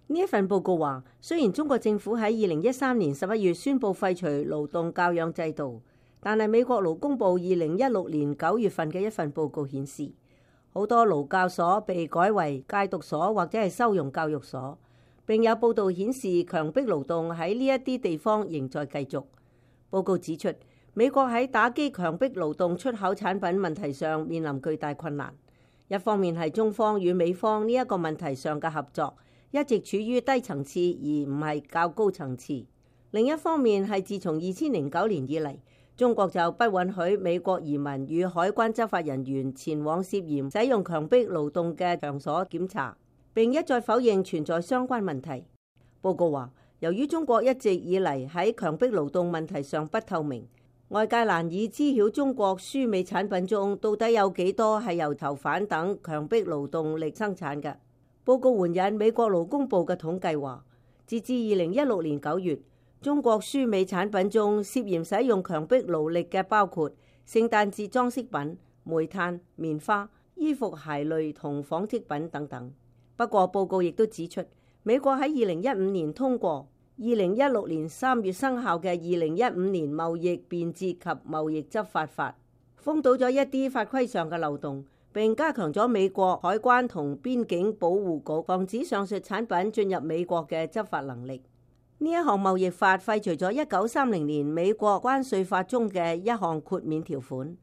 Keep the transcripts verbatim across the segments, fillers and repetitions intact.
呢一份報告話，雖然中國政府喺二零一三年十一月宣布廢除勞動教養制度，但係美國勞工部二零一六年九月份嘅一份報告顯示，好多勞教所被改為戒毒所或者係收容教育所，並有報道顯示強迫勞動喺呢一啲地方仍在繼續。報告指出，美國喺打擊強迫勞動出口產品問題上面臨巨大困難。一方面係中方與美方呢一個問題上嘅合作一直處於低層次而唔係較高層次，另一方面係自從二千零九年以嚟，中國就不允許美國移民與海關執法人員前往涉嫌使用強迫勞動嘅場所檢查，並一再否認存在相關問題。報告話，由於中國一直以嚟喺強迫勞動問題上不透明，外界難以知曉中國輸美產品中到底有幾多係由囚犯等強迫勞動力生產嘅。報告援引美國勞工部嘅統計話，截至二零一六年九月，中國輸美產品中涉嫌使用強迫勞力嘅包括聖誕節裝飾品、煤炭、棉花、衣服鞋類同紡織品等等。不過報告亦都指出，美國喺二零一五年通過二零一六年三月生效嘅二零一五年貿易便捷及貿易執法法，封堵咗一啲法規上嘅漏洞，並加強咗美國海關同邊境保護局防止上述產品進入美國嘅執法能力。呢一項貿易法廢除咗一九三零年美國關稅法中嘅一項豁免條款，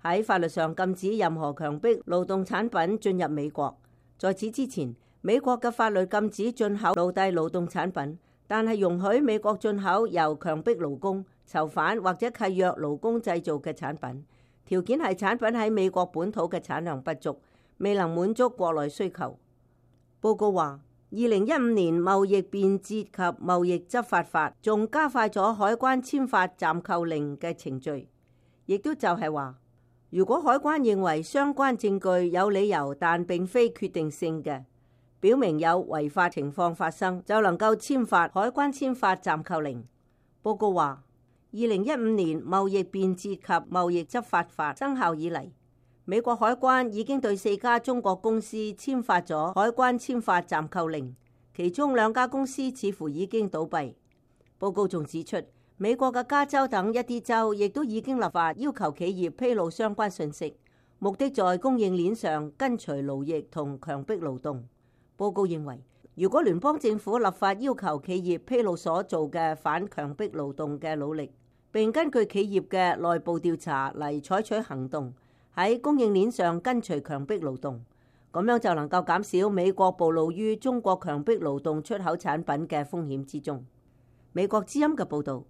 喺法律上禁止任何強迫勞動產品進入美國。在此之前，美國嘅法律禁止進口奴隸勞動產品，但係容許美國進口由強迫勞工、囚犯或者契約勞工製造嘅產品，條件係產品喺美國本土嘅產量不足，未能滿足國內需求。報告話，二零一五年貿易便捷及貿易執法法仲加快咗海關簽發暫扣令嘅程序，亦都就係話，如果海關認為相關證據有理由但並非決定性嘅，表明有違法情況發生，就能夠簽發海關簽發暫扣令。報告話，二零一五年貿易便捷及貿易執法法生效以嚟，美國海關已經對四家中國公司簽發咗海關簽發暫扣令，其中兩家公司似乎已經倒閉。報告仲指出，美國嘅加州等一啲州亦都已經立法要求企業披露相關信息，目的在供應鏈上根除勞役同強迫勞動。報告認為，如果聯邦政府立法要求企業披露所做嘅反強迫勞動嘅努力，並根據企業嘅內部調查嚟採取行動，喺供應鏈上根除強迫勞動，咁樣就能夠減少美國暴露於中國強迫勞動出口產品嘅風險之中。美國之音嘅報導。